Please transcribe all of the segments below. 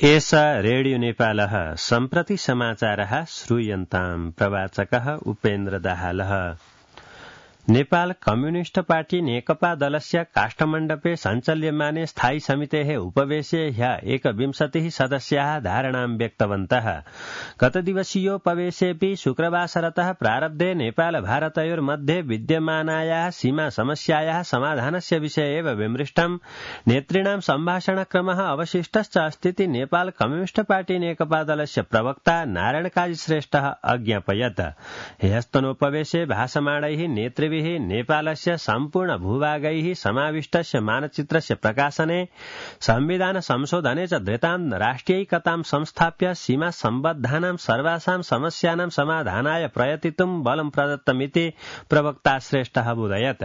एष रेडियो नेपालः सम्प्रति समाचारः श्रूयन्ताम्। प्रवाचकः उपेन्द्र दाहालः। नेपाल कम्युनिस्ट पार्टी नेकपा दलस्य काष्ठमण्डपे सञ्चाल्यमाने स्थायी समितेः उपवेशे ह्यः 21 सदस्याः धारणां व्यक्तवन्तः। गतदिवसीयोपवेशेऽपि शुक्रवासरतः प्रारब्धे नेपाल भारतयोर्मध्ये विद्यमानायाः सीमा समस्यायाः समाधानस्य विषये एव विमृष्टम्। नेतॄणां सम्भाषणक्रमः अवशिष्टश्च अस्तीति नेपाल कम्युनिस्ट पार्टी नेकपा दलस्य प्रवक्ता नारायण काजी श्रेष्ठः अज्ञापयत्। ह्यस्तनोपवेशे भाषमाणैः नेतृभिः नेपालस्य सम्पूर्ण भूभागैः समाविष्टस्य मानचित्रस्य प्रकाशने संविधान संशोधने च धृतां राष्ट्रियैकतां संस्थाप्य सीमा सम्बद्धानां सर्वासां समस्यानां समाधानाय प्रयतितुं बलं प्रदत्तमिति प्रवक्ता श्रेष्ठः बोधयत्।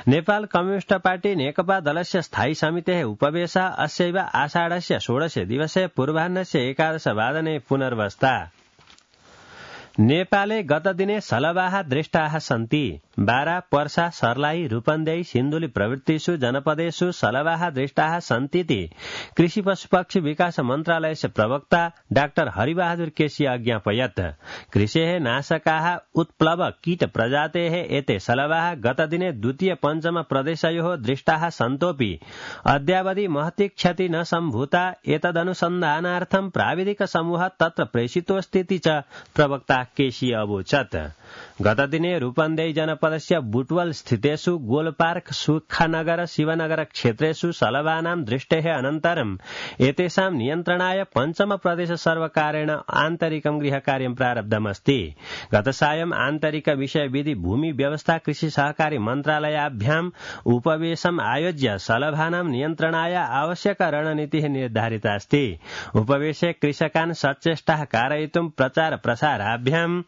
नेपाल कम्युनिस्ट पार्टी नेकपा दलस्य स्थायी समितेः उपवेशः अस्यैव आषाढस्य 16 दिवसे पूर्वाह्नस्य 11 वादने पुनर्वस्था। नेपाले गतदिने सलवाः दृष्टाः सन्ति। बारा, पर्सा, सर्लाही, रूपन्देही, सिन्धुली प्रभृतिषु जनपदेषु सलवाः दृष्टाः सन्तीति कृषि पशुपक्षी विकास मन्त्रालयस्य प्रवक्ता डाक्टर हरिबहादुर केसी अज्ञापयत्। कृषेः नाशकाः उत्प्लव कीट प्रजातेः एते सलवाः गतदिने द्वितीय पञ्चम प्रदेशयोः दृष्टाः सन्तोऽपि अद्यावधि महती क्षति न सम्भूता। एतदनुसन्धानार्थं प्राविधिक समूहः तत्र प्रेषितोऽस्तीति च प्रवक्ता केसी अवोचत्। गतदिने रूपन्देही जनपदस्य बुटवल स्थितेषु गोलपार्क, सुखानगर, शिवनगर क्षेत्रेषु सलवानां दृष्टेः अनन्तरम् एतेषां नियन्त्रणाय पञ्चम प्रदेश सर्वकारेण आन्तरिकं गृहकार्यं प्रारब्धमस्ति। गतसायं आन्तरिक विषय विधि भूमि व्यवस्था कृषि सहकारी मन्त्रालयाभ्याम् उपवेशम् आयोज्य सलभानां नियन्त्रणाय आवश्यक रणनीतिः निर्धारिता अस्ति। उपवेशे कृषकान् सचेष्टाः कारयितुं प्रचार प्रसाराभ्याम्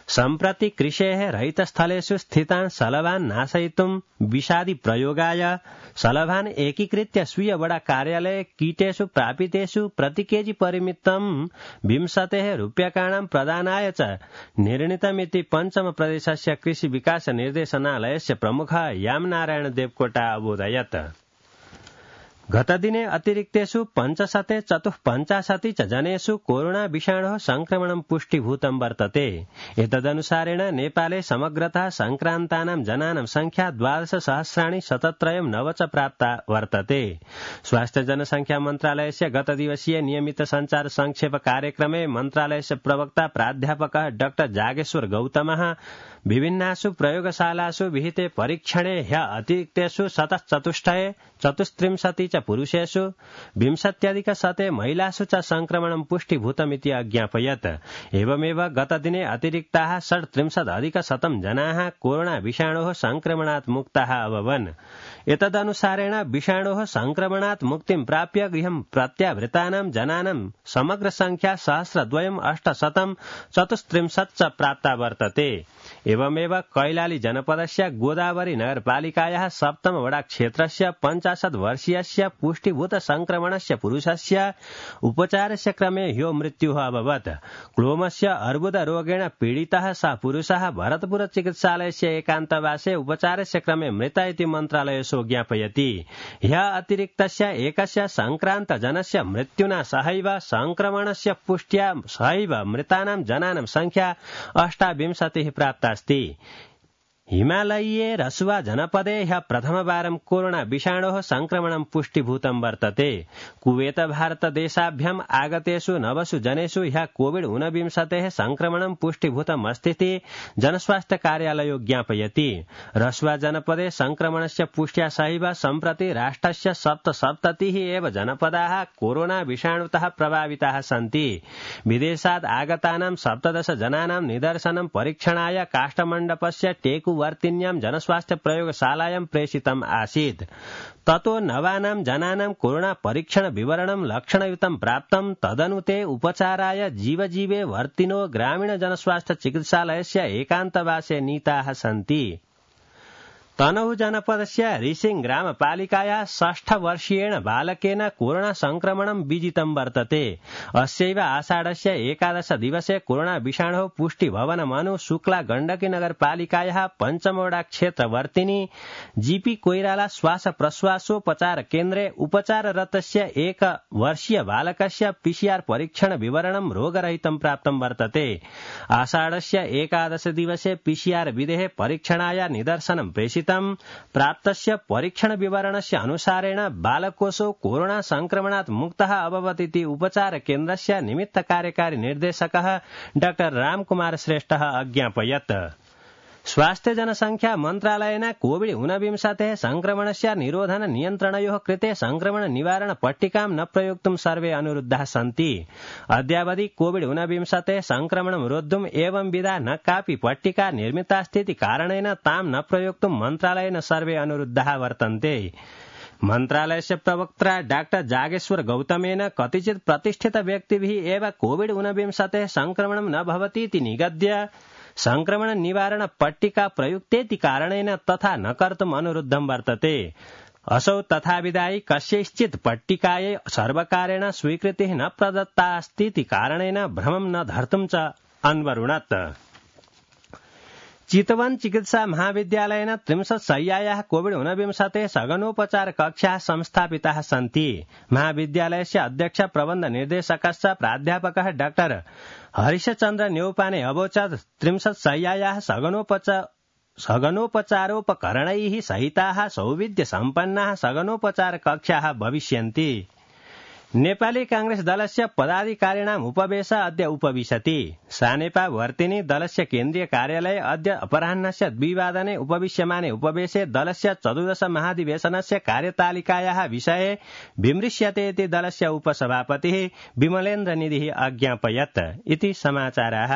सम्प्रति कृषेः रहितस्थलेषु स्थितान् सलभान् नाशयितुं विषादि प्रयोगाय सलभान् एकीकृत्य स्वीय वडा कार्यालये कीटेषु प्रापितेषु प्रति केजी परिमितं 20 रूप्यकाणां प्रदानाय च निर्णीतमिति पञ्चम प्रदेशस्य कृषि विकास निर्देशनालयस्य प्रमुखः यामनारायण देवकोटा अबोधयत्। गतदिने अतिरिक्तेषु 554 च जनेषु कोरोना विषाणोः संक्रमणं पुष्टिभूतं वर्तते। एतदनुसारेण नेपाले समग्रतः संक्रान्तानां जनानां संख्या 12,073 च प्राप्ता वर्तते। स्वास्थ्य जनसंख्या मन्त्रालयस्य गतदिवसीय नियमित संचार संक्षेप कार्यक्रमे मन्त्रालयस्य प्रवक्ता प्राध्यापकः डाक्टर जागेश्वर गौतमः विभिन्नासु प्रयोगशालासु विहिते परीक्षणे ह्य अतिरिक्तेषु 34 च पुरुषेषु 20 महिलासु च संक्रमणं पुष्टिभूतमिति अज्ञापयत्। एवमेव गतदिने अतिरिक्ताः 37,100 जनाः कोरोना विषाणोः संक्रमणात् मुक्ताः अभवन्। एतदनुसारेण विषाणोः संक्रमणात् मुक्तिं प्राप्य गृहं प्रत्यावृतानां जनानां समग्र संख्या 1,834 च प्राप्ता वर्तते। एवमेव कैलाली जनपदस्य गोदावरी नगरपालिकायाः सप्तम वडा क्षेत्रस्य 50 वर्षीयस्य पुष्टिभूत संक्रमणस्य पुरुषस्य उपचारस्य क्रमे ह्यो मृत्युः अभवत्। क्लोमस्य अर्बुद रोगेण पीडितः सः पुरुषः भरतपुर चिकित्सालयस्य एकान्तवासे उपचारस्य क्रमे मृत इति मन्त्रालयो ज्ञापयति। ह्यः अतिरिक्तस्य एकस्य संक्रान्त जनस्य मृत्युना सहैव संक्रमणस्य पुष्ट्या सहैव मृतानां जनानां संख्या 28 प्राप्तास्ति। हिमालयीय रसुवा जनपदे ह्यः प्रथमवारं कोरोना विषाणोः संक्रमणं पुष्टिभूतं वर्तते। कुवेत भारत देशाभ्याम् आगतेषु 9 जनेषु ह्यः कोविड-19 संक्रमणं पुष्टिभूतम् अस्तीति जनस्वास्थ्य कार्यालयो ज्ञापयति। रसुवा जनपदे संक्रमणस्य पुष्ट्या सहैव सम्प्रति राष्ट्रस्य 77 एव जनपदाः कोरोना विषाणुतः प्रभाविताः सन्ति। विदेशात् आगतानां 17 जनानां निदर्शनं परीक्षणाय काष्ठमण्डपस्य टेकुवर्तिन्यां जनस्वास्थ्य प्रयोगशालायां प्रेषितम् आसीत्। ततो नवानां जनानां कोरोना परीक्षण विवरणं लक्षणयुतं प्राप्तं। तदनु ते उपचाराय जीवजीवे वर्तिनो ग्रामीण जनस्वास्थ्य चिकित्सालयस्य एकान्तवासे नीताः सन्ति। तनहु जनपदस्य रिसिङ ग्रामपालिकायाः 6 वर्षीयेण बालकेन कोरोना संक्रमणं विजितं वर्तते। अस्यैव आषाढस्य 11 दिवसे कोरोना विषाणोः पुष्टि भवनमनु शुक्ला गण्डकी नगरपालिकायाः पञ्चमवडा क्षेत्रवर्तिनी जीपी कोइराला श्वास प्रश्वासोपचार केन्द्रे उपचाररतस्य 1 वर्षीय बालकस्य पीसीआर परीक्षण विवरणं रोगरहितं प्राप्तं वर्तते। आषाढस्य 11 दिवसे पीसीआर विधेः परीक्षणाय निदर्शनं प्रेषितम्। प्राप्तस्य परीक्षण विवरणस्य अनुसारेण बालकोऽसौ कोरोना संक्रमणात् मुक्तः अभवत् इति उपचार केन्द्रस्य निमित्त कार्यकारी निर्देशकः डॉ रामकुमार श्रेष्ठः अज्ञापयत्। स्वास्थ्य जनसंख्या मन्त्रालयेन कोविड-19 संक्रमणस्य निरोधन नियन्त्रणयोः कृते संक्रमण निवारण पट्टिकां न प्रयोक्तुं सर्वे अनुरुद्धाः सन्ति। अद्यावधि कोविड-19 संक्रमणं रोद्धुम् एवं विधा न कापि पट्टिका निर्मितास्तीति कारणेन तां न प्रयोक्तुं मन्त्रालयेन सर्वे अनुरुद्धाः वर्तन्ते। मन्त्रालयस्य प्रवक्ता डॉ जागेश्वर गौतमेन कतिचित् प्रतिष्ठित व्यक्तिभिः एव कोविड-19 संक्रमणं न भवतीति निगद्य संक्रमण निवारण पट्टिका प्रयुक्तेति कारणेन तथा न कर्तुम् अनुरुद्धं वर्तते। असौ तथाविधायि कस्यैश्चित् पट्टिकायै सर्वकारेण स्वीकृतिः न प्रदत्ता अस्तीति कारणेन भ्रमं न धर्तुं च अन्वरुणत्। चितवन चिकित्सा महाविद्यालयेन 30 शय्यायाः कोविड-19 सघनोपचार कक्षाः संस्थापिताः सन्ति। महाविद्यालयस्य अध्यक्ष प्रबन्ध निर्देशकश्च प्राध्यापकः डॉ हरिशचन्द्र न्यौपाने अवोचत् 30 शय्यायाः सघनोपचारोपकरणैः सहिताः सौविध्य सम्पन्नाः सघनोपचार कक्षाः भविष्यन्ति। नेपाली कांग्रेस दलस्य पदाधिकारिणाम् उपवेश अद्य उपविशति। सानेपा वर्तिनी दलस्य केन्द्रीय कार्यालये अद्य अपराह्नस्य 2 वादने उपविश्यमाने उपवेशे दलस्य 14 महाधिवेशनस्य कार्यतालिकायाः विषये विमृश्यते इति दलस्य उपसभापतिः विमलेन्द्र निधिः अज्ञापयत्। इति समाचाराः।